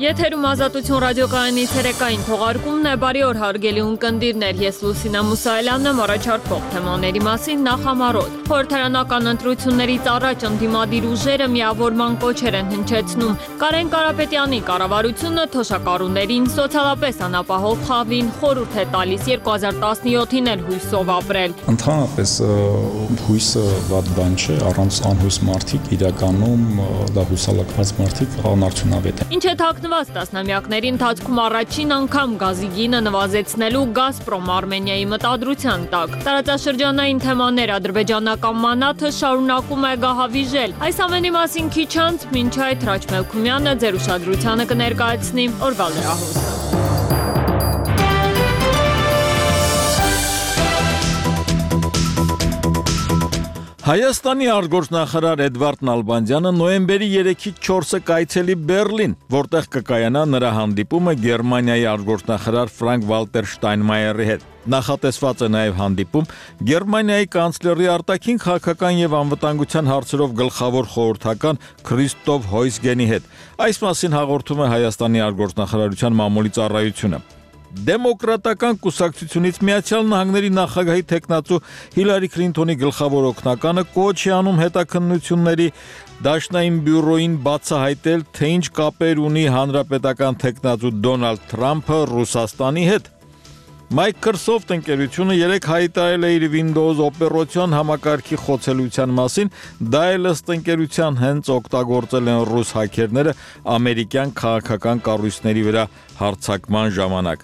Եթերում Ազատություն ռադիոկայանի ցերեկային թողարկումն է, բարի օր հարգելի ունկնդիրներ, ես Լուսինա Մուսայելյանն եմ, առաջարկող թեմաների մասին նախամարոտ։ Խորհրդարանական ընտրություններից առաջ ընդդիմադիր ուժերը միավորման կոչեր են հնչեցնում։ Կարեն Կարապետյանի կառավարությունը թոշակառուներին սոցիալապես անապահով խավին խորհուրդ է տալիս 2017-ին էլ հույսով ապրել։ Ընդհանրապես հույսը վատ բան չէ, առանց անհույս մարդիկ իրականում դա հուսալքված մարդիկ անարդյունավետ են։ Ինչ է թաքնված տասնամյակների ընթացքում առաջին անգամ գազի գինը նվազեցնելու Գազպրոմ Արմենիայի մտադրության տակ։ Տարածաշրջանային թեմաներ ադրբեջանական մանաթը շարունակում է գահավիժել։ Այս ամենի մասին քիչ անց մինչ այդ Հրաչ Մելքումյանը ձեր ուշադրությանը կներկայացնի օրվա լրահոսը։ Հայաստանի արտգործնախարար Էդվարդ Նալբանդյանը նոյեմբերի 3-ից 4-ը կայցելի Բերլին, որտեղ կկայանա նրա հանդիպումը Գերմանիայի արտգործնախարար Ֆրանկ Վալտեր Շտայնմայերի հետ։ Նախատեսված է նաև հանդիպում Գերմանիայի կանցլերի արտաքին քաղաքական եւ անվտանգության հարցերով գլխավոր խորհրդական Քրիստոֆ Հոյսգենի հետ։ Այս մասին հաղորդում է Հայաստանի արտգործնախարարության մամուլի ծառայությունը։ Դեմոկրատական կուսակցությունից Միացյալ Նահանգների նախագահի տեխնացու Հիլարի Քլինթոնի գլխավոր օգնականը կոչ է անում հետաքննությունների դաշնային բյուրոին բացահայտել, թե ինչ կապեր ունի հանրապետական տեխնացու Դոնալդ Թրամփը Ռուսաստանի հետ։ Microsoft ընկերությունը երեք հայտարարել է իր Windows օպերացիոն համակարգի խոցելիության մասին, դա էլ ըստ ընկերության հենց օգտագործել են ռուս հաքերները ամերիկյան քաղաքական կառույցների վրա հարձակման ժամանակ։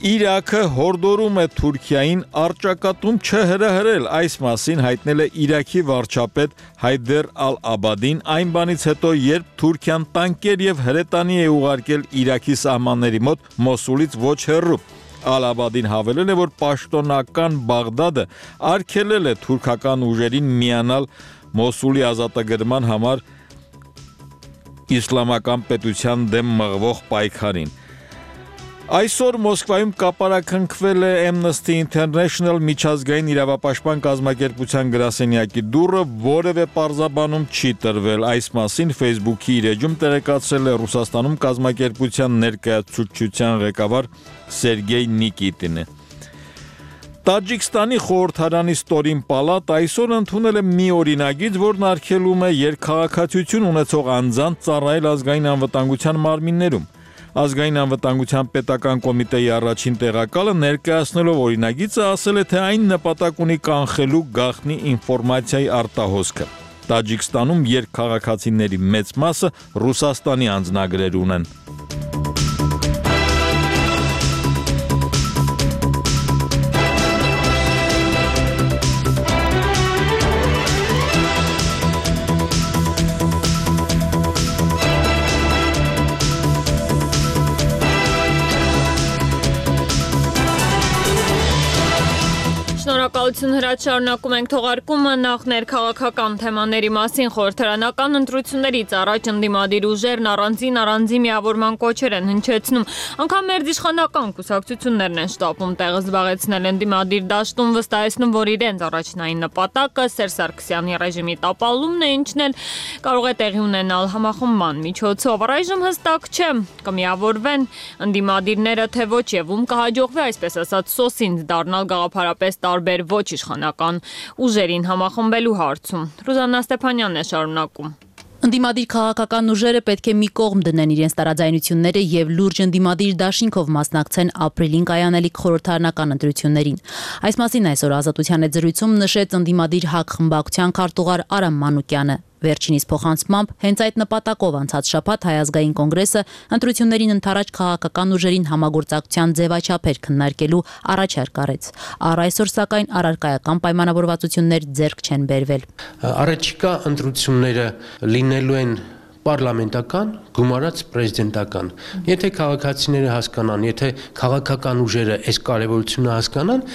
Իրաքը հորդորում է Թուրքիային առճակատում չհրահրել, այս մասին հայտնել է Իրաքի վարչապետ Հայդեր Ալ-Աբադին այն բանից հետո, երբ Թուրքիան տանկեր եւ հրետանի է ուղարկել Իրաքի սահմանների մոտ Մոսուլից ոչ հեռու։ Ալ-Աբադին հավելել է, որ պաշտոնական Բաղդադը արգելել է թուրքական ուժերին միանալ Մոսուլի ազատագրման համար իսլամական պետության դեմ մղվող պայքարին։ Այսօր Մոսկվայում կապարակնքվել է Amnesty International միջազգային իրավապաշտպան կազմակերպության գրասենյակի դուռը, որևէ պարզաբանում չի տրվել։ Այս մասին Facebook-ի իր էջում տեղեկացրել է Ռուսաստանում կազմակերպության ներկայացուցչության ղեկավար Սերգեյ Նիկիտինը։ Տաջիկստանի խորհրդարանի ստորին պալատ այսօր ընդունել է մի օրինագիծ, որն արգելում է երկքաղաքացիություն ունեցող անձանց ծառայել ազգային անվտանգության մարմիններում։ Ազգային անվտանգության պետական կոմիտեի առաջին տեղակալը ներկայացնելով օրինագիծը ասել է, թե այն նպատակ ունի կանխելու գաղտնի ինֆորմացիայի արտահոսքը։ Տաջիկստանում երկքաղաքացիների մեծ մասը Ռուսաստանի անձնագրեր ունեն։ Շնորհակալություն Հրաչ, շարունակում ենք թողարկումը նախ ներքաղաքական թեմաների մասին խորհրդարանական ընտրություններից առաջ ընդդիմադիր ուժերն առանձին միավորման կոչեր են հնչեցնում։ Անգամ մերձիշխանական կուսակցություններն են շտապում տեղը զբաղեցնել ընդդիմադիր դաշտում, վստահեցնում, որ իրենց առաջնային նպատակը Սերժ Սարգսյանի ռեժիմի տապալումն է, ինչն էլ կարող է տեղի ունենալ համախմբման միջոցով։ Առայժմ հստակ չէ, կմիավորվեն ընդդիմադիրները, թե ոչ եւ ում կհաջողվի, այսպես ասած, սոսինձ դառնալ գաղափարապես տարբեր ոչ իշխանական ուժերին համախմբելու հարցում։ Ռուզաննա Ստեփանյանն է շարունակում։ Ընդդիմադիր քաղաքական ուժերը պետք է մի կողմ դնեն իրենց տարաձայնությունները եւ լուրջ ընդդիմադիր դաշինքով մասնակցեն ապրիլին կայանալիք խորհրդարանական ընտրություններին։ Այս մասին այսօր Ազատության հետ զրույցում նշեց ընդդիմադիր ՀԱԿ խմբակցության քարտուղար Արամ Մանուկյանը։ Վերջինիս փոխանցմամբ հենց այդ նպատակով անցած շաբաթ Հայ ազգային կոնգրեսը ընտրություններին ընդառաջ քաղաքական ուժերին համագործակցության ձևաչափեր քննարկելու առաջարկ արեց։ Առ այսօր սակայն առարկայական պայմանավորվածություններ ձեռք չեն բերվել։ Առաջիկա ընտրությունները լինելու են պարլամենտական, գումարած պրեզիդենտական։ Եթե քաղաքացիները հասկանան, եթե քաղաքական ուժերը այս կարևորությունը հասկանան,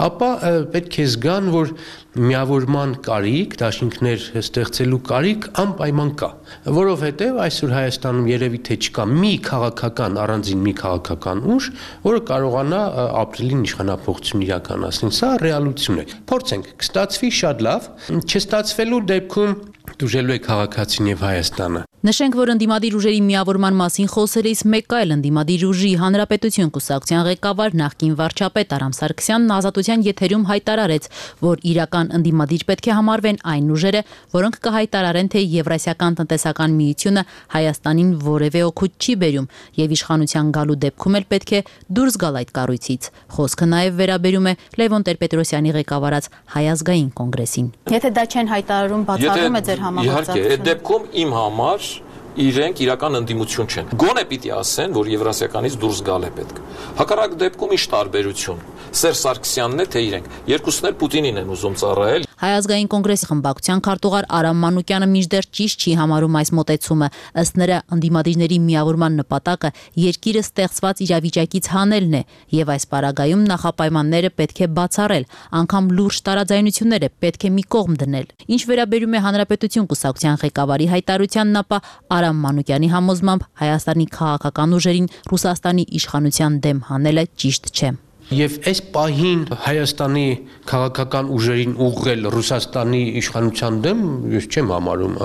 ապա պետք է զգան, որ միավորման կարիք, դաշինքներ ստեղծելու կարիք անպայման կա, որովհետև այսօր Հայաստանում երևի թե չկա մի քաղաքական, առանձին մի քաղաքական ուժ, որը կարողանա ապրիլին իշխանափոխություն իրականացնել։ Սա ռեալություն է։ Փորձենք, կստացվի շատ լավ, չստացվելու դեպքում դուժելու է քաղաքացին եւ Հայաստանը։ Նշենք, որ ընդդիմադիր ուժերի միավորման մասին խոսելիս մեկ այլ ընդդիմադիր ուժի Հանրապետություն կուսակցության ղեկավար նախկին վարչապետ Արամ Սարգսյանն Ազատության եթերում հայտարարեց, որ իրական ընդդիմադիր պետք է համարվեն այն ուժերը, որոնք կհայտարարեն, թե Եվրասիական տնտեսական միությունը Հայաստանին որևէ օգուտ չի բերում եւ իշխանության գալու դեպքում էլ պետք է դուրս գալ այդ կառույցից։ Խոսքը նաեւ վերաբերում է Լևոն Տեր-Պետրոսյանի ղեկավարած Հայ ազգային կոնգրեսին։ Եթե դա չեն հայտարարում, բացառում է ձեր համագործակցությունը։ Իհարկե, այդ դեպքում իմ համար իրենք իրական ընդդիմություն չեն։ Գոնե պիտի ասեն, որ Եվրասիականից դուրս գալ է պետք։ Հակառակ դեպքում ինչ տարբերություն։ Սերժ Սարգսյանն է, թե իրենք։ Երկուսն էլ Պուտինին են ուզում ծառայել։ Հայ ազգային կոնգրեսի խմբակցության քարտուղար Արամ Մանուկյանը մինչդեռ ճիշտ չի համարում այս մոտեցումը։ Ըստ նրա, ընդդիմադիրների միավորման նպատակը երկիրը ստեղծված իրավիճակից հանելն է, եւ այս պարագայում նախապայմանները պետք է բացառել, անգամ լուրջ տարաձայնությունները պետք է մի կողմ դնել։ Ինչ վերաբերում է Հանրապետություն կուսակցության ղեկավարի հայտարարությանն, ապա Արամ Մանուկյանի համոզմամբ Հայաստանի քաղաքական ուժերին Ռուսաստանի իշխանության դեմ հանելը ճիշտ չէ։ Եվ այս պահին Հայաստանի քաղաքական ուժերին ուղղել Ռուսաստանի իշխանության դեմ ես չեմ համարում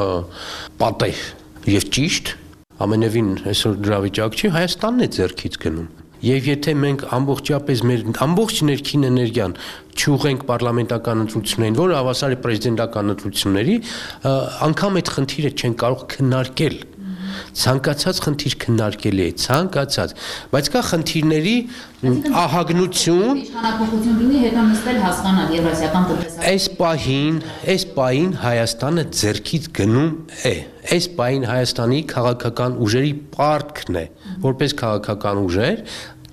պատեհ եւ ճիշտ, ամենևին այսօր դրա վիճակ չի, Հայաստանն է ձեռքից գնում։ Եվ եթե մենք ամբողջապես մեր ամբողջ ներքին էներգիան չուղենք պարլամենտական ընտրություններին, որը հավասար է պրեզիդենտական ընտրությունների, անգամ այդ խնդիրը չեն կարող քննարկել։ Ցանկացած խնդիր քննարկելի է, ցանկացած, բայց կա խնդիրների ահագնություն, իշխանապողություն լինի, հետո նստել հասկանալ Եվրասիական տնտեսական։ Այս պահին Հայաստանը ձեռքից գնում է։ Այս պահին Հայաստանի քաղաքական ուժերի պարտքն է, որպես քաղաքական ուժեր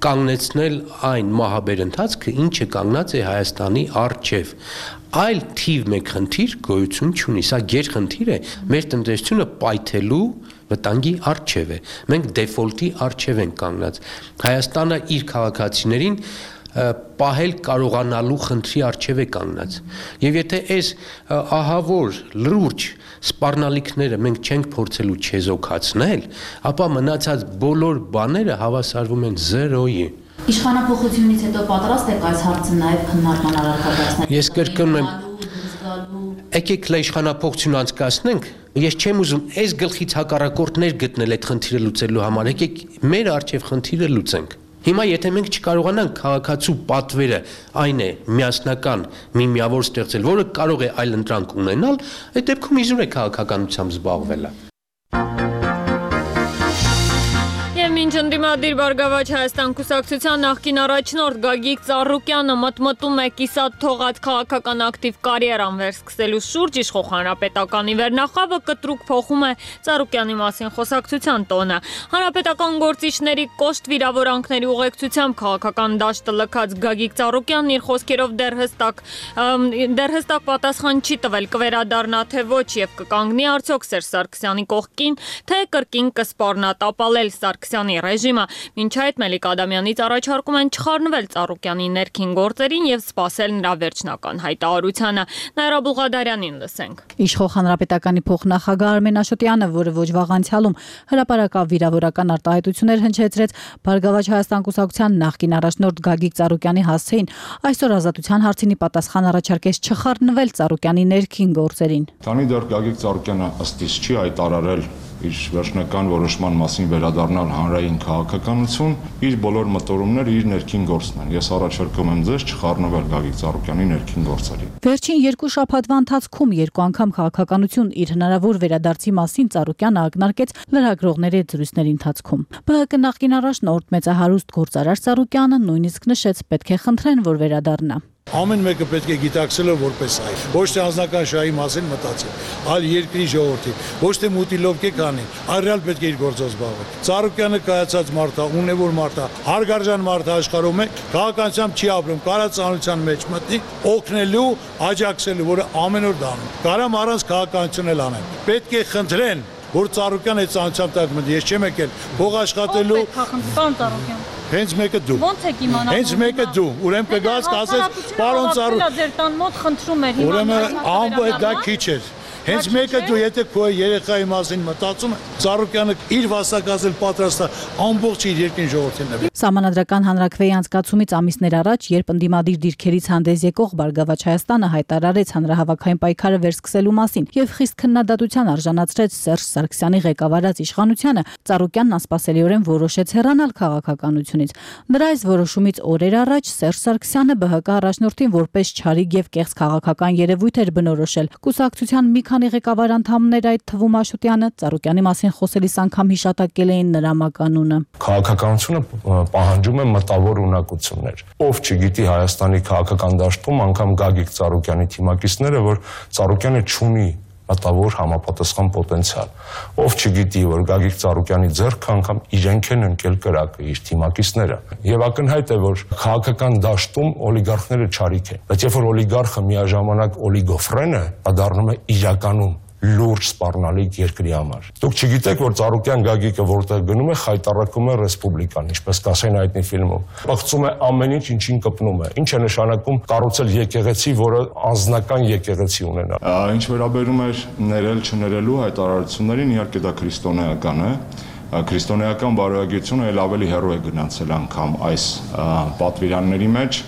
կանգնեցնել այն մահաբեր ընթացքը, ինչը կանգնած է Հայաստանի առջև։ Այլ թիվ մեկ խնդիր գոյություն չունի, սա գերխնդիր է, մեր տնտեսությունը պայթելու վտանգի առջև է։ Մենք դեֆոլտի առջև ենք կանգնած։ Հայաստանը իր քաղաքացիներին պահել կարողանալու խնդրի առջև է կանգնած։ Եվ եթե այս ահավոր լուրջ սպառնալիքները մենք չենք փորձելու չեզոքացնել, ապա մնացած բոլոր բաները հավասարվում են 0-ի։ Իշխանապողությունից հետո պատրաստ եք այս հարցը նաև քննարկման առարկայացնել։ Ես կրկնում եմ, եկեք իշխանապողություն անցկացնենք, ես չեմ ուզում այս գլխից հակառակորդներ գտնել այդ խնդիրը լուծելու համար, եկեք մեր առջև խնդիրը լուծենք։ Հիմա եթե մենք չկարողանանք քաղաքացու պատվերը այն է միասնական մի միավոր ստեղծել, որը կարող է այլ ընտրանք ունենալ, այդ դեպքում իզուր է քաղաքականությամբ զբաղվելը։ Մինչ ընդդիմադիր Բարգավաճ Հայաստան կուսակցության նախկին առաջնորդ Գագիկ Ծառուկյանը մտմտում է կիսատ թողած քաղաքական ակտիվ կարիերան վերսկսելու շուրջ, իշխող Հանրապետականի վերնախավը կտրուկ փոխում է Ծառուկյանի մասին խոսակցության տոնը։ Հանրապետական գործիչների կոշտ վիրավորանքների ուղեկցությամբ քաղաքական դաշտը լքած Գագիկ Ծառուկյանն իր խոսքերով դեռ հստակ պատասխան չի տվել, կվերադառնա թե ոչ եւ կկանգնի արդյոք Սերժ Սարգսյանի կողքին, թե կրկին կսպառնա տապալել Սարգսյանի ռեժիմը։ Մինչ այդ Մելիք Ադամյանից առաջարկում են չխառնվել Ծառուկյանի ներքին գործերին եւ սպասել նրա վերջնական հայտարարությանը։ Նաիրա Բուղադարյանին լսենք։ Իշխող Հանրապետականի փոխնախագահ Արմեն Աշոտյանը, որը ոչ վաղ անցյալում հրապարակավ վիրավորական արտահայտություններ հնչեցրեց Բարգավաճ Հայաստան կուսակցության նախկին առաջնորդ Գագիկ Ծառուկյանի հասցեին, այսօր ազատության հարցինի պատասխան առաջարկեց չխառնվել Ծառուկյանի ներքին գործերին։ Քանի դեռ Գագիկ Ծառուկյանը ըստ իս չի հայտարարել իր վերջնական որոշման մասին վերադառնալ հանրային քաղաքականություն, իր բոլոր մտորումները իր ներքին գործն են։ Ես առաջարկում եմ ձեզ չխառնվել Գագիկ Ծառուկյանի ներքին գործերին։ Վերջին 2 շաբաթվա ընթացքում 2 անգամ քաղաքականություն իր հնարավոր վերադարձի մասին Ծառուկյանը ակնարկեց լրագրողների զրույցների ընթացքում։ ԲՀԿ նախկին առաջնորդ մեծահարուստ գործարար Ծառուկյանը նույնիսկ նշեց, պետք է խնդրեն, որ վերադառնա։ Ամեն մեկը պետք է գիտակցելով որպես այ ոչ թե անձնական շահի մասին մտածել, այլ երկրի ժողովրդի, ոչ թե մուտիլովկե կանի, այլ ռեալ պետք է իր գործով զբաղվել։ Ծառուկյանը կայացած մարդ է, ունևոր մարդ է, հարգարժան մարդ է աշխարհում է, քաղաքականությամբ չի ապրում, կարա ծանոթության մեջ մտնի, օգնելու, աջակցելու, որը ամեն օր դանում։ Կարամ առանց քաղաքականություն էլ անեն։ Պետք է խնդրեն, որ Ծառուկյանը այդ ծանոթությամբ տակ մտնի, ես չեմ եկել փող աշխատելու։ Պարոն Ծառուկյան։ Հենց մեկը դու։ Ոնց եք իմանալու։ Հենց մեկը դու։ Ուրեմն կգաս կասես, պարոն Ծառուկյան, ձեր տան մոտ խնդրում էր Ուրեմն ամբողջ դա քիչ էր։ Հենց մեկը դու եթե քո երեխայի մասին մտածում ես, Ծառուկյանը իր վաստակազել պատրաստ է ամբողջ իր երկրին ժողովրդին նվիրել։ Սահմանադրական հանրաքվեի անցկացումից ամիսներ առաջ, երբ ընդդիմադիր դիրքերից հանդես եկող Բարգավաճ Հայաստանը հայտարարեց հանրահավաքային պայքարը վերսկսելու մասին եւ խիստ քննադատության արժանացրեց Սերժ Սարգսյանի ղեկավարած իշխանությանը, Ծառուկյանն անսպասելիորեն որոշեց հեռանալ քաղաքականությունից։ Նրա այս որոշումից օրեր առաջ Սերժ Սարգսյանը ԲՀԿ առաջնորդին որպես չարիք եւ կեղծ քաղաքական երևույթ էր բնորոշել։ Կուսակցության մի քանի ղեկավար անդամներ, այդ թվում Աշոտյանը, Ծառուկյանի մասին խոսելիս անգամ հիշատակել էին նրա մականունը։ Քաղաքականությունը պահանջում է մտավոր ունակություններ։ Ով չգիտի Հայաստանի քաղաքական դաշտում անգամ Գագիկ Ծառուկյանի թիմակիցները, որ Ծառուկյանը չունի մտավոր համապատասխան պոտենցիալ։ Ով չգիտի, որ Գագիկ Ծառուկյանի ձեռքը անգամ իրենք են ընկել կրակը, իր թիմակիցները։ Եվ ակնհայտ է, որ քաղաքական դաշտում օլիգարխները չարիք են։ Բայց երբ որ օլիգարխը միաժամանակ օլիգոֆրեն է, դա դառնում է իրականում լուրջ սպառնալիք երկրի համար։ Դուք չգիտեք, որ Ծառուկյան Գագիկը որտեղ գնում է, խայտառակում է ռեսպուբլիկան, ինչպես կասեն հայտնի ֆիլմում։ Պղծում է ամեն ինչ, ինչին կպնում է։ Ինչ է նշանակում կառուցել եկեղեցի, որը անձնական եկեղեցի ունենա։ Ինչ վերաբերում է ներել չներելու հայտարարություններին, իհարկե դա քրիստոնեական է։ Քրիստոնեական բարոյագրությունը ել ավելի հեռու է գնացել անգամ այս պատվիրանների մեջ,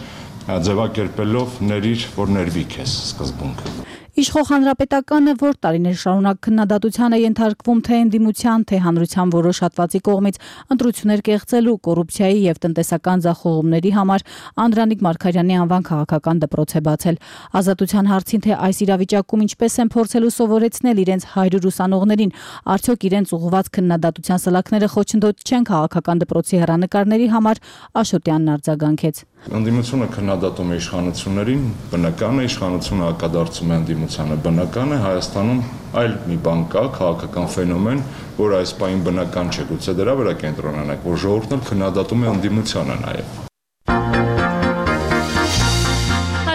ձևակերպելով ներիր, որ ներվի քեզ սկզբունքը։ Իշխող հանրապետականը, որ տարիներ շարունակ քննադատության է ենթարկվում թե ընդդիմության, թե հանրության որոշ հատվածի կողմից ընտրություններ կեղծելու, կոռուպցիայի եւ տնտեսական ձախողումների համար, Անդրանիկ Մարգարյանի անվան քաղաքական դպրոց է բացել։ Ազատության հարցին, թե այս իրավիճակում ինչպես են փորձելու սովորեցնել իրենց 100 ուսանողներին, արդյոք իրենց ուղղված քննադատության սլաքները խոչընդոտ չեն քաղաքական դպրոցի հեռանկարների համար, Աշոտյանն արձագանքեց։ Ընդդիմությունը քննադատում է իշխանություններին, բնական է, իշխանությունը հակադարձում է ընդդիմությանը, բնական է, Հայաստանում այլ մի բան կա, քաղաքական ֆենոմեն, որ այս պահին բնական չէ, գուցե դրա վրա կենտրոնանանք, որ ժողովուրդն էլ քննադատում է ընդդիմությանը նաև։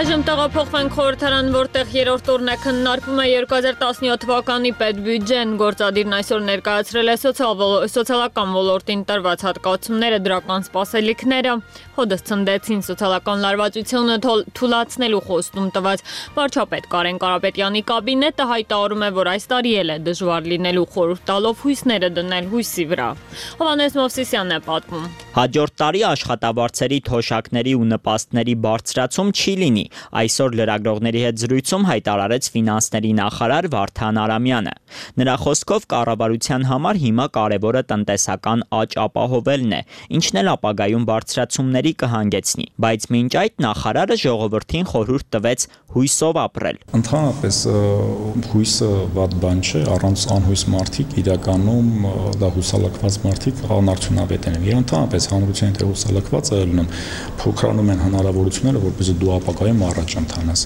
Այժմ տեղափոխվենք խորհրդարան, որտեղ երրորդ օրն է քննարկվում է 2017 թվականի պետբյուջեն, գործադիրն այսօր ներկայացրել է սոցիալական ոլորտին տրված հատկացումները, դրական սպասելիքները, հոդս ցնդեցին սոցիալական լարվածությունը թույլատնելու խոստում տված վարչապետ Կարեն Կարապետյանի կաբինետը հայտարարում է, որ այս տարի էլ է դժվար լինելու, խորհուրդ տալով հույսները դնել հույսի վրա։ Հովհաննես Մովսիսյանն է պատմում։ Հաջորդ տարի աշխատավարձերի, թոշակների ու նպաստների բարձրացում չի լինի։ Այսօր լրագրողների հետ զրույցում հայտարարեց ֆինանսների նախարար Վարդան Արամյանը։ Նրա խոսքով կառավարության համար հիմա կարևորը տնտեսական աճ ապահովելն է, ինչն էլ ապագայում բարձրացումների կհանգեցնի, բայց մինչ այդ նախարարը ժողովրդին խորհուրդ տվեց հույսով ապրել։ Ընդհանրապես հույսը վատ բան չէ, առանց անհույս մարդիկ իրականում դա հուսալքված մարդիկ անարդյունավետ են։ Եվ ընդհանրապես հանրության թե հուսալքված է լինում, փոքրանում են հնարավորությունները, որպեսզի դու ապագայում առաջ ընթանաս։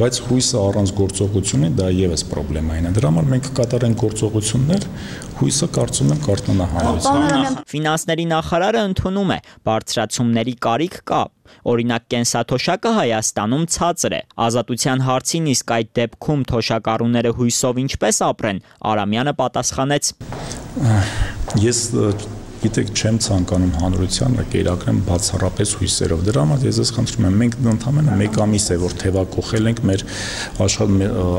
Բայց հույսը առանց գործողությունի դա եւս պրոբլեմային է։ Դրա համար մենք կկատարենք գործողություններ, հույսը կարծում եմ կարտնանա հանրության։ Ֆինանսների նախարարը ընդունում է, բարձրացումների կարիք կա։ Օրինակ կենսաթոշակը Հայաստանում ցածր է։ Ազատության հարցին իսկ այդ դեպքում թոշակառուները հույսով ինչպես ապրեն, Արամյանը պատասխանեց. Ես գիտեք, չեմ ցանկանում հանրությանը կերակրեմ բացառապես հույսերով։ Դրա համար ես ձեզ խնդրում եմ, մենք ընդամենը 1 ամիս է որ թևակողել ենք մեր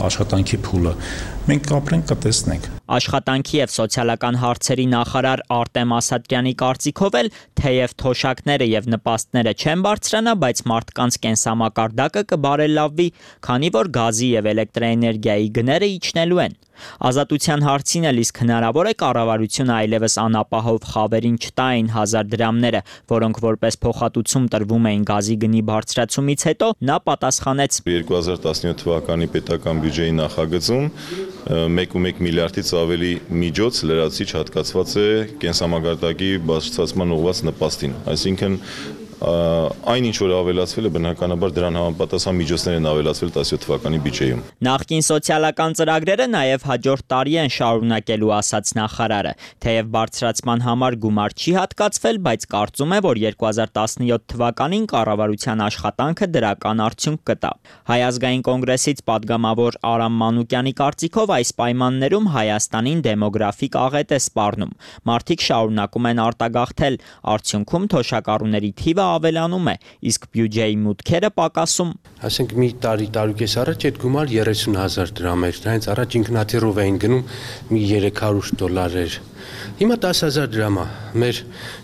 աշխատանքի փուլը։ Մենք ապրենք, կտեսնենք։ Աշխատանքի եւ սոցիալական հարցերի նախարար Արտեմ Ասատրյանի կարծիքով էլ թեև թոշակները եւ նպաստները չեն բարձրանա, բայց մարդկանց կենսամակարդակը կբարելավվի, քանի որ գազի եւ էլեկտրաէներգիայի գները իջնելու են։ Ազատության հարցին էլ իսկ հնարավոր է կառավարությունը այլևս անապահով խավերին չտա այն 1000 դրամները, որոնք որպես փոխհատուցում տրվում էին գազի գնի բարձրացումից հետո, նա պատասխանեց. 2017 թվականի պետական բյուջեի նախագծում 1.1 միլիարդից ավելի միջոց լրացիչ հատկացված է կենսամակարդակի բարձրացման ուղղված նպաստին, այսինքն այն ինչ որ ավելացվել է բնականաբար դրան համապատասխան միջոցներ են ավելացվել 17 թվականի բյուջեում։ Նախկին սոցիալական ծրագրերը նաև հաջորդ տարի են շարունակելու, ասաց նախարարը, թեև բարձրացման համար գումար չի հատկացվել, բայց կարծում է, որ 2017 թվականին կառավարության աշխատանքը դրական արդյունք կտա։ Հայ ազգային կոնգրեսից падգամավոր Արամ Մանուկյանի կարծիքով այս պայմաններում Հայաստանին դեմոգրաֆիկ աղետ է սպառնում։ Մարդիկ շարունակում են արտագաղթել, արդյունքում թոշակառուների թիվը ավելանում է, իսկ բյուջեի մուտքերը պակասում։ Ասենք մի տարուկես առաջ այդ գումար 30,000 դրամ էր, դրանից առաջ ինքնաթիռով էին գնում մի $300 էր։ Հիմա 10,000 դրամ է։ Մեր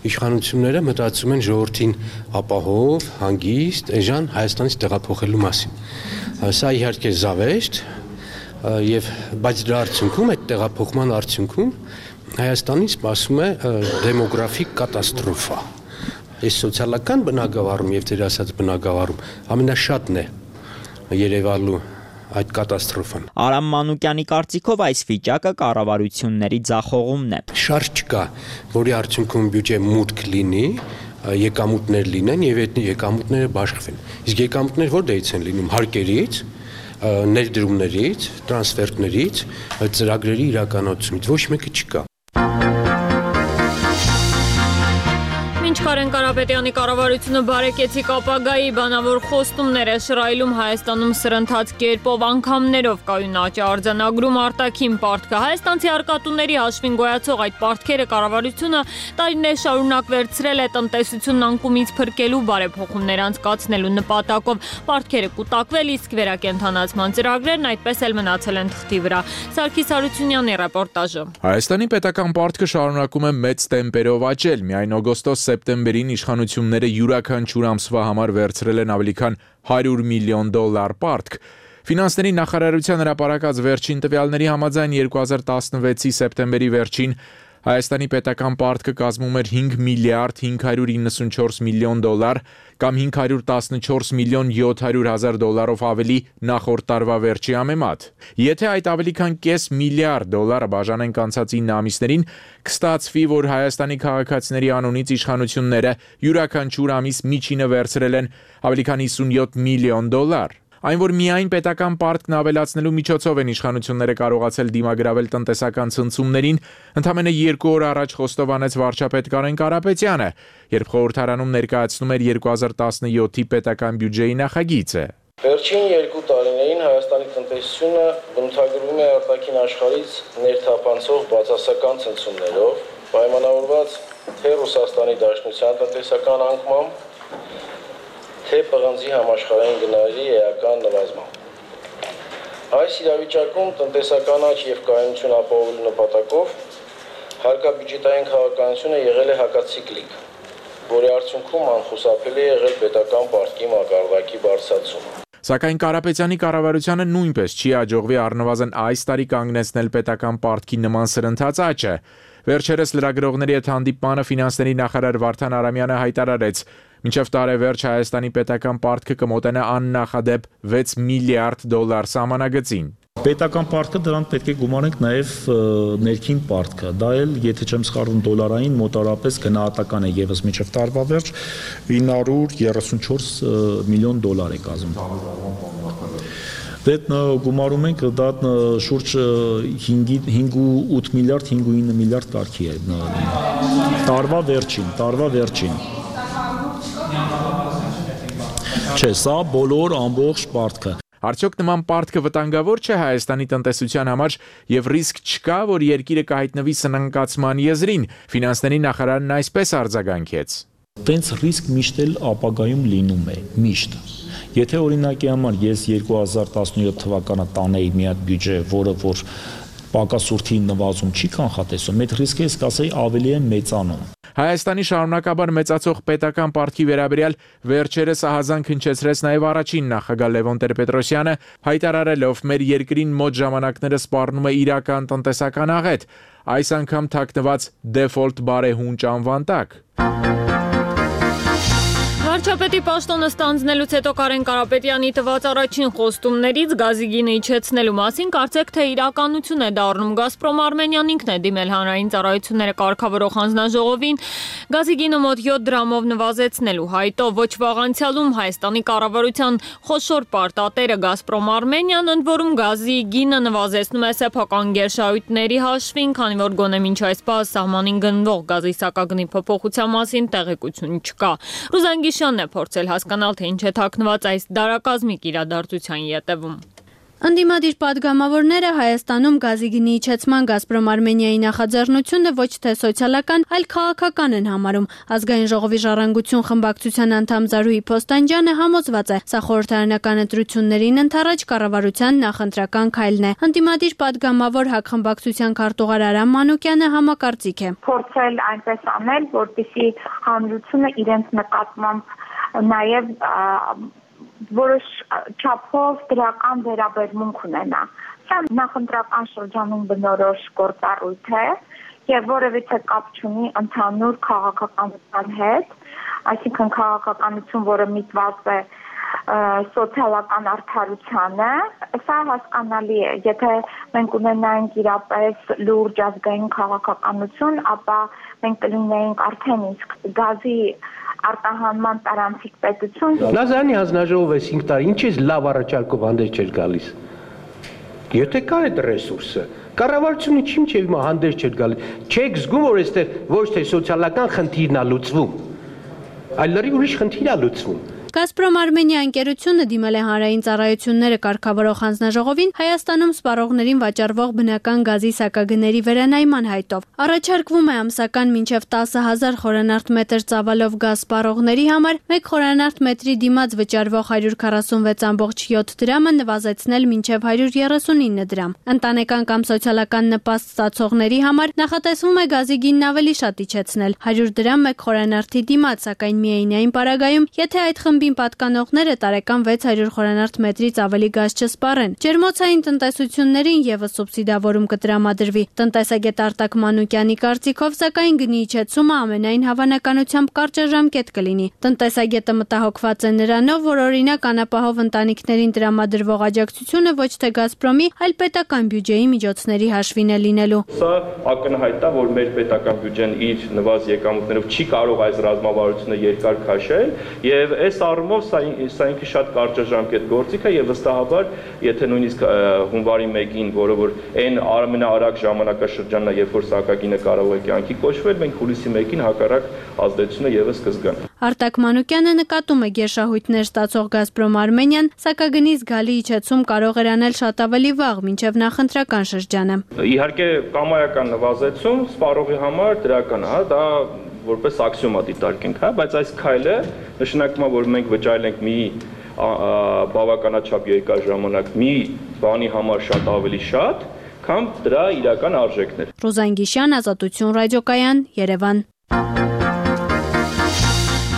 իշխանությունները մտածում են ժողովրդին ապահով, հանգիստ, էժան Հայաստանից տեղափոխելու մասին։ Սա իհարկե զավեշտ, բայց դրա արդյունքում, այդ տեղափոխման արդյունքում Հայաստանին սպասում է դեմոգրաֆիկ կատաստրոֆա։ Այս սոցիալական բնագավառում եւ դեր ասած բնագավառում ամենաշատն է երևալու այդ կատաստրոֆան։ Արամ Մանուկյանի կարծիքով այս վիճակը կառավարությունների ձախողումն է։ Շարժ չկա, որի արդյունքում բյուջե մուտք լինի, եկամուտներ լինեն եւ այդ եկամուտները բաշխվեն։ Իսկ եկամուտները որտեղից են լինում, հարկերից, ներդրումներից, տրանսֆերտներից, ծրագրերի իրականացումից, ոչ մեկը չկա։ Կարեն Կարապետյանի կառավարությունը բարեկեցիկ ապագայի բանավոր խոստումներ է շռայլում Հայաստանում սրընթաց կերպով անգամներով կայուն աճ արձանագրում արտաքին պարտքը։ Հայաստանցի արկատուների հաշվին գոյացող այդ պարտքերը կառավարությունը տարիներ շարունակ վերցրել է տնտեսությունն անկումից փրկելու բարեփոխումներ անցկացնելու նպատակով։ Պարտքերը կուտակվել, իսկ վերակենդանացման ծրագրերն այդպես էլ մնացել են թղթի վրա։ Սարգիս Հարությունյանի ռեպորտաժը։ Հայաստանի պետական պարտքը շարունակում է մեծ տեմպերով աճել։ Միայն օգոստոս-սեպտեմբերին իշխանությունները յուրաքանչյուր ամսվա համար վերցրել են ավելի քան $100 միլիոն պարտք։ Ֆինանսների նախարարության հրապարակած վերջին տվյալների համաձայն 2016-ի սեպտեմբերի վերջին Հայաստանի պետական պարտքը կազմում էր $5 միլիարդ 594 միլիոն կամ $514 միլիոն 700 հազար ավելի նախորդ տարվա վերջի համեմատ։ Եթե այդ ավելի քան կես միլիարդ դոլարը բաժանենք անցած 9 ամիսներին, կստացվի, որ Հայաստանի քաղաքացիների անունից իշխանությունները յուրաքանչյուր ամիս միջինը վերցրել են ավելի քան $57 միլիոն։ Այն, որ միայն պետական պարտքն ավելացնելու միջոցով են իշխանությունները կարողացել դիմագրավել տնտեսական ցնցումներին, ընդամենը 2 օր առաջ խոստովանեց վարչապետ Կարեն Կարապետյանը, երբ խորհրդարանում ներկայացնում էր 2017-ի պետական բյուջեի նախագիծը։ Վերջին 2 տարիներին Հայաստանի տնտեսությունը բնութագրվում է արտաքին աշխարհից ներթափանցող բացասական ցնցումներով, պայմանավորված թե Ռուսաստանի Դաշնության տնտեսական անկմամբ, թե պղնձի համաշխարհային գնահատի էական նվազմամբ։ Այս իրավիճակում տնտեսական աճ եւ կայունություն ապահովելու նպատակով հարկաբյուջետային քաղաքականությունը եղել է հակացիկլիկ, որի արդյունքում անխուսափելի է եղել պետական պարտքի մակարդակի բարձրացումը։ Սակայն Կարապետյանի կառավարությանը նույնպես չի հաջողվի առնվազն այս տարի կանգնեցնել պետական պարտքի նման սրընթաց աճը։ Վերջերս լրագրողների հետ հանդիպմանը ֆինանսների նախարար Վարդան Արամյանը հայտարարեց, մինչև տարեվերջ Հայաստանի պետական պարտքը կմոտենա աննախադեպ $6 միլիարդ սահմանագծին։ Պետական պարտքը դրան պետք է գումարենք նաև ներքին պարտքը, դա էլ, եթե չեմ սխալվում, դոլարային մոտարապես գնահատական է եւս մինչև տարվա վերջ $934 միլիոն է կազմում։ Դե գումարում ենք դա շուրջ 5.8 միլիարդ, 5.9 միլիարդ կարգի է տարվա վերջին։ Չէ, սա բոլոր ամբողջ պարտքը։ Արդյոք նման պարտքը վտանգավոր չէ Հայաստանի տնտեսության համար եւ ռիսկ չկա, որ երկիրը կհայտնվի սնանկացման եզրին։ Ֆինանսների նախարարն այսպես արձագանքեց։ Տենց ռիսկ միշտ էլ ապագայում լինում է, միշտ։ Եթե օրինակի համար ես 2017 թվականը տանեի մի հատ բյուջե, որը որ պակասուրդի նվազում չի կանխատեսում, այդ ռիսկը ես կասեի ավելի է մեծանում։ Հայաստանի շարունակաբար մեծացող պետական պարտքի վերաբերյալ վերջերս ահազանգ հնչեցրեց նաև առաջին նախագահ Լևոն Տեր-Պետրոսյանը, հայտարարելով մեր երկրին մոտ ժամանակները սպառնում է իրական տնտեսական աղետ, այս անգամ թաքնված դեֆոլտ բարեհունճ անվան տակ։ Վարչապետի պաշտոնը ստանձնելուց հետո Կարեն Կարապետյանի տված առաջին խոստումներից գազի գինը իջեցնելու մասին կարծեք թե իրականություն է դառնում։ Գազպրոմ Արմենիան ինքն է դիմել հանրային ծառայությունները կարգավորող հանձնաժողովին գազի գինը մոտ 7 դրամով նվազեցնելու հայտով։ Ոչ վաղ անցյալում Հայաստանի կառավարության խոշոր պարտատերը Գազպրոմ Արմենիան ընդ որում գազի գինը նվազեցնում է սեփական գերշահույթների հաշվին, քանի որ գոնե մինչ այս պահ սահմանին գնվող գազի սակագնի փոփոխության մասին տեղեկություն չկա։ Ռուզան Գիշյանն է փորձել հասկանալ, թե ինչ է թաքնված այս դարակազմիկ իրադարձության ետևում։ Ընդդիմադիր падգամավորները Հայաստանում գազի գնի իջեցման Գազպրոմ Արմենիայի նախաձեռնությունը ոչ թե սոցիալական, այլ քաղաքական են համարում։ Ազգային ժողովի ժառանգություն խմբակցության անդամ Զարուհի Փոստանջյանը համոզված է, սա խորհրդարանական ընտրություններին ընդառաջ կառավարության նախընտրական քայլն է։ Ընդդիմադիր падգամավոր ՀԱԿ խմբակցության քարտուղար Արամ Մանուկյանը համակարծիք է։ Փորձել այնպես անել, որպեսզի հանրությունը իրենց նկատմամբ նաև որոշ չափով դրական վերաբերմունք ունենա։ Սա նախընտրական շրջանում բնորոշ գործառույթ է եւ որևիցե կապ չունի ընդհանուր քաղաքականության հետ, այսինքն քաղաքականություն, որը միտված է սոցիալական արդարությանը, սա հասկանալի է։ Եթե մենք ունենայինք իրապես լուրջ ազգային քաղաքականություն, ապա մենք կլինեինք արդեն իսկ գազի արտահանման տարանցիկ պետություն։ Լազարյանի հանձնաժողովը 5 տարի ինչ է լավ առաջարկով հանդես չէր գալիս։ Եթե կա այդ ռեսուրսը, կառավարությունը չիմ չէ հիմա հանդես չէր գալիս։ Չեք զգում, որ այստեղ ոչ թե սոցիալական խնդիրն է լուծվում, այլ լրիվ ուրիշ խնդիր է լուծվում։ Գազպրոմ Արմենիա ընկերությունը դիմել է հանրային ծառայությունները կարգավորող հանձնաժողովին Հայաստանում սպառողներին վաճառվող բնական գազի սակագների վերանայման հայտով։ Առաջարկվում է ամսական մինչև 10,000 խորանարդ մետր ծավալով գազ սպառողների համար 1 խորանարդ մետրի դիմաց վճարվող 146.7 դրամը նվազեցնել մինչև 139 դրամ։ Ընտանեկան կամ սոցիալական նպաստ ստացողների համար նախատեսվում է գազի գինն ավելի շատ իջեցնել 100 դրամ 1 խորանարդի դիմաց, սակայն միայնային պարագայում, եթե այդ խմբին պատկանողները տարեկան 600 խորանարդ մետրից ավելի գազ չսպառեն։ Ջերմոցային տնտեսություններին եւս սուբսիդավորում կտրամադրվի։ Տնտեսագետ Արտակ Մանուկյանի կարծիքով, սակայն գնի իջեցումը ամենայն հավանականությամբ կարճաժամկետ կլինի։ Տնտեսագետը մտահոգված է նրանով, որ օրինակ անապահով ընտանիքներին տրամադրվող աջակցությունը ոչ թե Գազպրոմի, այլ պետական բյուջեի միջոցների հաշվին է լինելու։ Սա ակնհայտ է, որ մեր պետական բյուջեն իր նվազ եկամուտներով չի կարող այս ռազմավարությունը երկար քաշել, եւ այս առումով սա ինքը շատ կարճաժամկետ գործիք է եւ վստահաբար, եթե նույնիսկ հունվարի 1-ին, որը որ այն ամենաարագ ժամանակաշրջանն է, երբ որ սակագինը կարող է կյանքի կոչվել, մենք հուլիսի 1-ին հակառակ ազդեցությունը եւս կզգանք։ Արտակ Մանուկյանը նկատում է գերշահույթներ ստացող Գազպրոմ Արմենիան, սակագնի զգալի իջեցում կարող էր անել շատ ավելի վաղ, մինչև նախընտրական շրջանը։ Իհարկե կամայական նվազեցում սպառողի համար դրական է, դա որպես աքսիոմա դիտարկենք, հա, բայց այս քայլը նշանակում է, որ մենք վճարենք մի բավականաչափ երկար ժամանակ մի բանի համար շատ ավելի շատ, քան դրա իրական արժեքներ։ Ռոզան Գիշյան, Ազատություն ռադիոկայան, Երևան։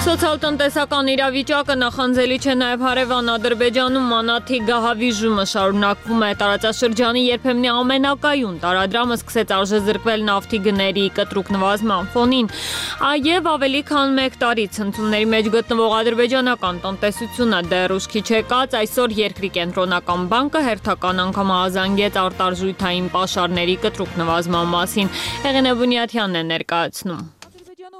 Սոցիալ-տնտեսական իրավիճակը նախանձելի չէ նաև հարևան Ադրբեջանում մանաթի գահավիժումը շարունակվում է։ Տարածաշրջանի երբեմնի ամենակայուն տարադրամը սկսեց արժեզրկվել նավթի գների կտրուկ նվազման ֆոնին։ Եվ ավելի քան 1 տարի ցնցումների մեջ գտնվող ադրբեջանական տնտեսությունը դեռ ուշքի չեկած, այսօր երկրի կենտրոնական բանկը հերթական անգամ ահազանգեց արտարժույթային պաշարների կտրուկ նվազման մասին։ Հեղինե Բունյաթյանն է ներկայացնում։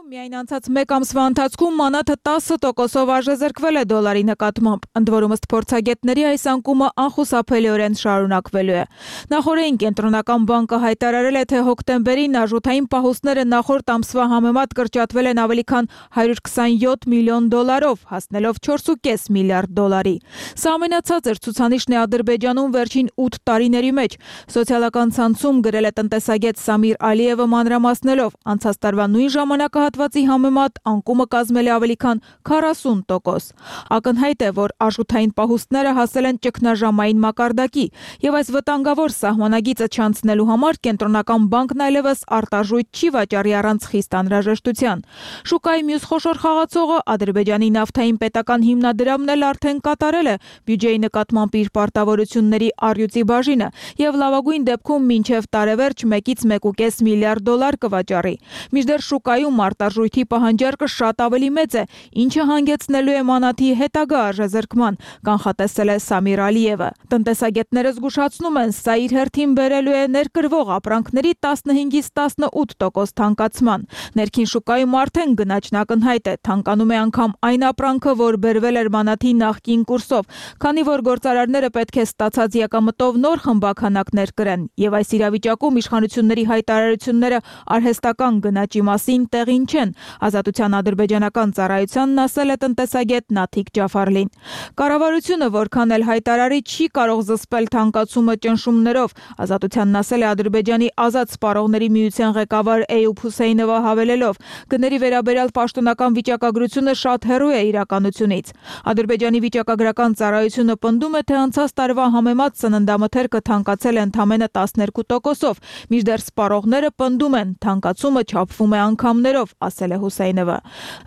Միայն անցած 1 ամսվա ընթացքում մանաթը 10%-ով արժեզրկվել է դոլարի նկատմամբ։ Ընդ որում ըստ փորձագետների այս անկումը անխուսափելիորեն շարունակվելու է։ Նախորդին կենտրոնական բանկը հայտարարել է, թե հոկտեմբերին արժութային պահուստները նախորդ ամսվա համեմատ կրճատվել են ավելի քան $127 միլիոն, հասնելով 4.5 միլիարդ դոլարի։ Սա ամենացածր ցուցանիշն է Ադրբեջանում վերջին 8 տարիների մեջ։ Սոցիալական ցանցում գրել է տնտեսագետ Սամիր Ալիևը մանրամասնելով, անցած տարվա նույն ժամանակահատվածի համեմատ անկումը կազմել է ավելի քան 40%։ Ակնհայտ է, որ արժութային պահուստները հասել են ճգնաժամային մակարդակի, եւ այս վտանգավոր սահմանագիծը չանցնելու համար կենտրոնական բանկն այլևս արտարժույթ չի վաճառի առանց խիստ անհրաժեշտության։ Շուկայի մյուս խոշոր խաղացողը Ադրբեջանի նավթային պետական հիմնադրամն էլ արդեն կատարել է բյուջեի նկատմամբ իր պարտավորությունների առյուծի բաժինը եւ լավագույն դեպքում մինչեւ տարեվերջ 1-ից 1.5 միլիարդ դոլար կվաճառի։ Մինչդեռ շուկայում արտարժույթի պահանջարկը շատ ավելի մեծ է, ինչը հանգեցնելու է մանաթի հետագա արժեզրկման, կանխատեսել է Սամիր Ալիևը։ Տնտեսագետները զգուշացնում են, սա իր հերթին բերելու է ներկրվող ապրանքների 15-ից 18% թանկացման։ Ներքին շուկայում արդեն գնաճն ակնհայտ է, թանկանում է անգամ այն ապրանքը, որ բերվել էր մանաթի նախկին կուրսով, քանի որ գործարարները պետք է ստացած եկամտով նոր խմբականակներ կրեն, եւ այս իրավիճակում իշխանությունների հայտարարությունները արհեստական գնաճի մասին տեղին չեն։ չեն, Ազատության ադրբեջանական ծառայությանն ասել է տնտեսագետ Նաթիկ Ջաֆարլին։ Կառավարությունը որքան էլ հայտարարի չի կարող զսպել թանկացումը ճնշումներով, Ազատությանն ասել է Ադրբեջանի ազատ սպառողների միության ղեկավար Էյուբ Հուսեյնովը հավելելով. գների վերաբերյալ պաշտոնական վիճակագրությունը շատ հեռու է իրականությունից։ Ադրբեջանի վիճակագրական ծառայությունը պնդում է, թե անցած տարվա համեմատ սննդամթերքը թանկացել է ընդամենը 12%-ով, մինչդեռ սպառողները պնդում են, թանկացումը չափվում է անգամներով, ասել է Հուսեյնովը։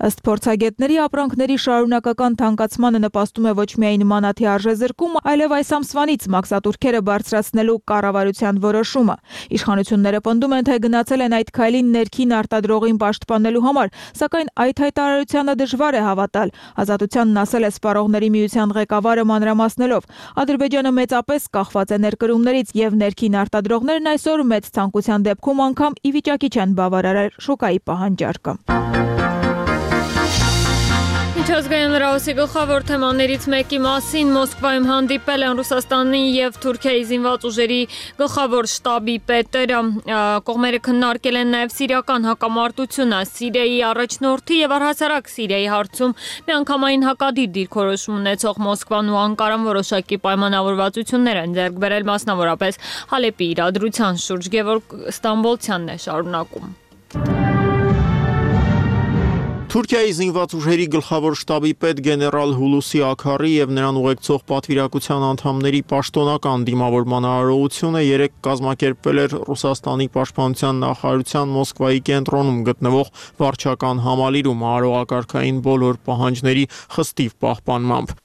Ըստ փորձագետների, ապրանքների շարունակական թանկացմանը նպաստում է ոչ միայն մանաթի արժեզրկումը, այլև այս ամսվանից մաքսատուրքերը բարձրացնելու կառավարության որոշումը։ Իշխանությունները պնդում են, թե գնացել են այդ քայլին ներքին արտադրողին պաշտպանելու համար, սակայն այդ հայտարարությանը դժվար է հավատալ։ Ազատությանն ասել է սպառողների միության ղեկավարը մանրամասնելով. Ադրբեջանը մեծապես կախված է ներկրումներից եւ ներքին արտադրողներն այսօր մեծ ցանկության դեպքում անգամ ի վիճակի չեն բավարարել շուկայի պահանջարկը։ Միջազգային լրահոսի գլխավոր թեմաներից մեկի մասին Մոսկվայում հանդիպել են Ռուսաստանի եւ Թուրքիայի զինված ուժերի գլխավոր շտաբի պետերը։ Կողմերը քննարկել են նաեւ սիրիական հակամարտությունը, Սիրիայի առաջնորդի եւ առհասարակ Սիրիայի հարցում միանգամայն հակադիր դիրքորոշում ունեցող Մոսկվան ու Անկարան որոշակի պայմանավորվածություններ են ձեռք բերել, մասնավորապես Հալեպի իրադրության շուրջ։ Գևորգ Ստամբոլցյանն է շարունակում։ Թուրքիայի զինված ուժերի գլխավոր շտաբի պետ գեներալ Հուլուսի Աքարի եւ նրան ուղեկցող պատվիրակության անդամների պաշտոնական դիմավորման արարողությունը երեկ կազմակերպվել էր Ռուսաստանի պաշտպանության նախարարության Մոսկվայի կենտրոնում գտնվող վարչական համալիրում արարողակարգային բոլոր պահանջների խստիվ պահպանմամբ։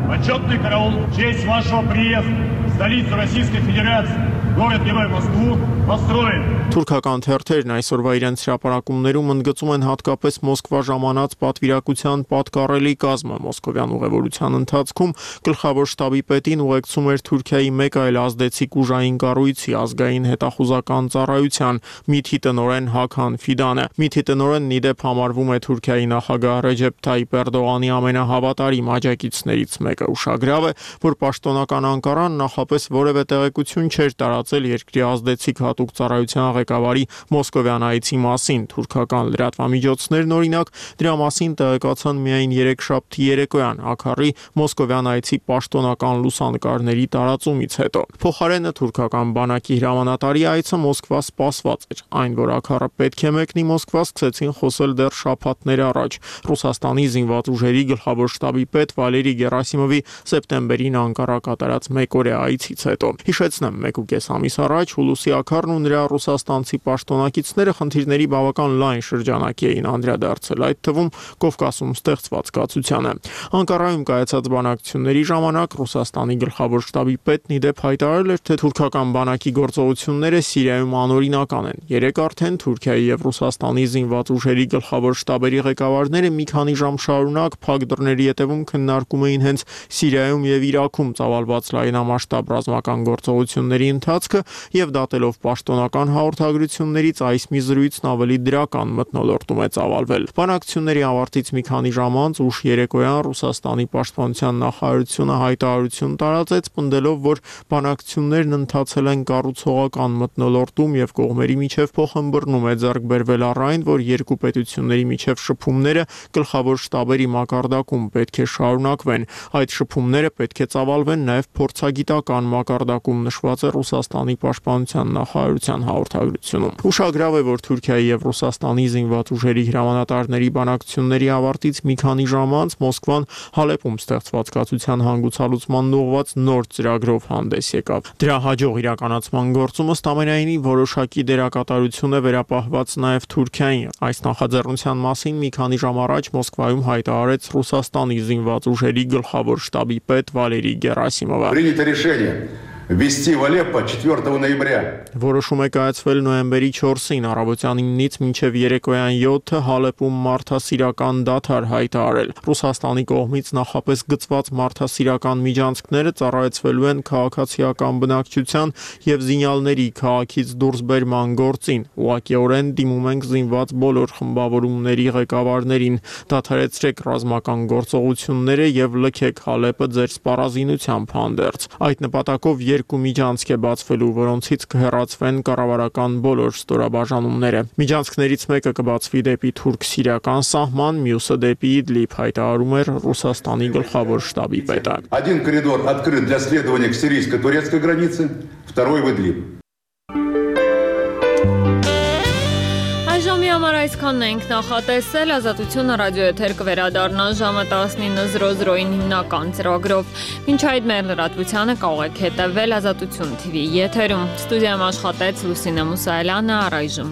Почетный караул в честь вашего приезда в столицу Российской Федерации, город-герой Москву, построен. Թուրքական թերթերն այսօրվա իրենց հրապարակումներում ընդգծում են հատկապես Մոսկվա ժամանած պատվիրակության պատկառելի կազմը։ Մոսկովյան ուղևորության ընթացքում գլխավոր շտաբի պետին ուղեկցում էր Թուրքիայի մեկ այլ ազդեցիկ ուժային կառույցի ազգային հետախուզական ծառայության ՄԻԹ-ի տնօրեն Հաքան Ֆիդանը։ ՄԻԹ-ի տնօրենն ի դեպ համարվում է Թուրքիայի նախագահ Ռեջեփ Թայիպ Էրդողանի ամենահավատարիմ աջակիցներից մեկը։ Ուշագրավ է, որ պաշտոնական Անկարան նախապես որևէ տեղեկություն չէր տարածել երկրի ազդեցիկ հատուկ ծառայության ղեկավարի մոսկովյան այցի մասին։ Թուրքական լրատվամիջոցներն օրինակ դրա մասին տեղեկացան միայն երեքշաբթի երեկոյան Աքարի մոսկովյան այցի պաշտոնական լուսանկարների տարածումից հետո։ Փոխարենը թուրքական բանակի հրամանատարի այցը Մոսկվա սպասված էր։ Այն, որ Աքարը պետք է մեկնի Մոսկվա, սկսեցին խոսել դեռ շաբաթներ առաջ Ռուսաստանի զինված ուժերի գլխավոր շտաբի պետ Վալերի Գերասիմովի սեպտեմբերին Անկարա կատարած մեկօրյա այցից հետո։ Հիշեցնեմ, 1.5 ամիս առաջ Հուլուսի Աքարն ու նրա ռուսաստանցի պաշտոնակիցները խնդիրների բավական լայն շրջանակի էին անդրադարձել, այդ թվում Կովկասում ստեղծված կացությանը։ Անկարայում կայացած բանակցությունների ժամանակ Ռուսաստանի գլխավոր շտաբի պետն ի դեպ հայտարարել էր, թե թուրքական բանակի գործողությունները Սիրիայում անօրինական են։ Երեկ արդեն Թուրքիայի եւ Ռուսաստանի զինված ուժերի գլխավոր շտաբերի ղեկավարները մի քանի ժամ շարունակ փակ դռների ետևում քննարկում էին հենց Սիրիայում եւ Իրաքում ծավալված լայնամասշտաբ ռազմական գործողությունների ընթացքը եւ դատելով պաշտոնական հաղորդագրություններից այս մի զրույցն ավելի դրական մթնոլորտում է ծավալվել։ Բանակցությունների ավարտից մի քանի ժամ անց ուշ երեկոյան Ռուսաստանի պաշտպանության նախարարությունը հայտարարություն տարածեց, պնդելով, որ բանակցություններն ընթացել են կառուցողական մթնոլորտում եւ կողմերի միջև փոխհմբռնում է ձեռք բերվել առ այն, որ երկու պետությունների միջև շփումները գլխավոր շտաբերի մակարդակում պետք է շարունակվեն։ Այդ շփումները պետք է ծավալվեն նաև փորձագիտական մակարդակում, նշված է Ռուսաստանի պաշտպանության նախարարության հաղորդագրությունում։ Ուշագրավ է, որ Թուրքիայի եւ Ռուսաստանի զինված ուժերի հրամանատարների բանակցությունների ավարտից մի քանի ժամ անց Մոսկվան Հալեպում ստեղծված կացության հանգուցալուծման ուղղված նոր ծրագրով հանդես եկավ։ Դրա հաջող իրականացման գործում ըստ ամենայնի որոշակի դերակատարություն է վերապահված նաև Թուրքիային։ Այս նախաձեռնության մասին մի քանի ժամ առաջ Մոսկվայում հայտարարեց Ռուսաստանի զինված ուժերի գլխավոր շտաբի պետ Վալերի Գերասիմովը։ Принято решение ввести в Алеппо 4 ноября. Որոշում է կայացվել նոյեմբերի 4-ին առավոտյան 9-ից մինչև երեկոյան 7-ը Հալեպում մարդասիրական դադար հայտարարել։ Ռուսաստանի կողմից նախապես գծված մարդասիրական միջանցքները ծառայեցվելու են քաղաքացիական բնակչության եւ զինյալների քաղաքից դուրս բերման գործին։ Ուղղակիորեն դիմում ենք զինված բոլոր խմբավորումների ղեկավարներին, դադարեցրեք ռազմական գործողությունները եւ լքեք Հալեպը ձեր սպառազինությամբ հանդերձ։ Այդ նպատակով 2 միջանցք է բացվելու, որոնցից կհեռացվեն կառավարական բոլոր ստորաբաժանումները։ Միջանցքներից մեկը կբացվի դեպի թուրք-սիրիական սահման, մյուսը դեպի Իդլիբ, հայտարարում էր Ռուսաստանի գլխավոր շտաբի պետը։ Один коридор открыт для следования к сирийско-турецкой границе, второй в Идлиб. Այժմի համար այսքանն ենք նախատեսել, Ազատությունը ռադիոեթեր կվերադառնա ժամը 19:00-ին հիմնական ծրագրով։ Մինչ այդ մեր լրատվությանը կարող եք հետևել Ազատություն TV եթերում։ Ստուդիայում աշխատեց Լուսինե Մուսայելյանը, առայժմ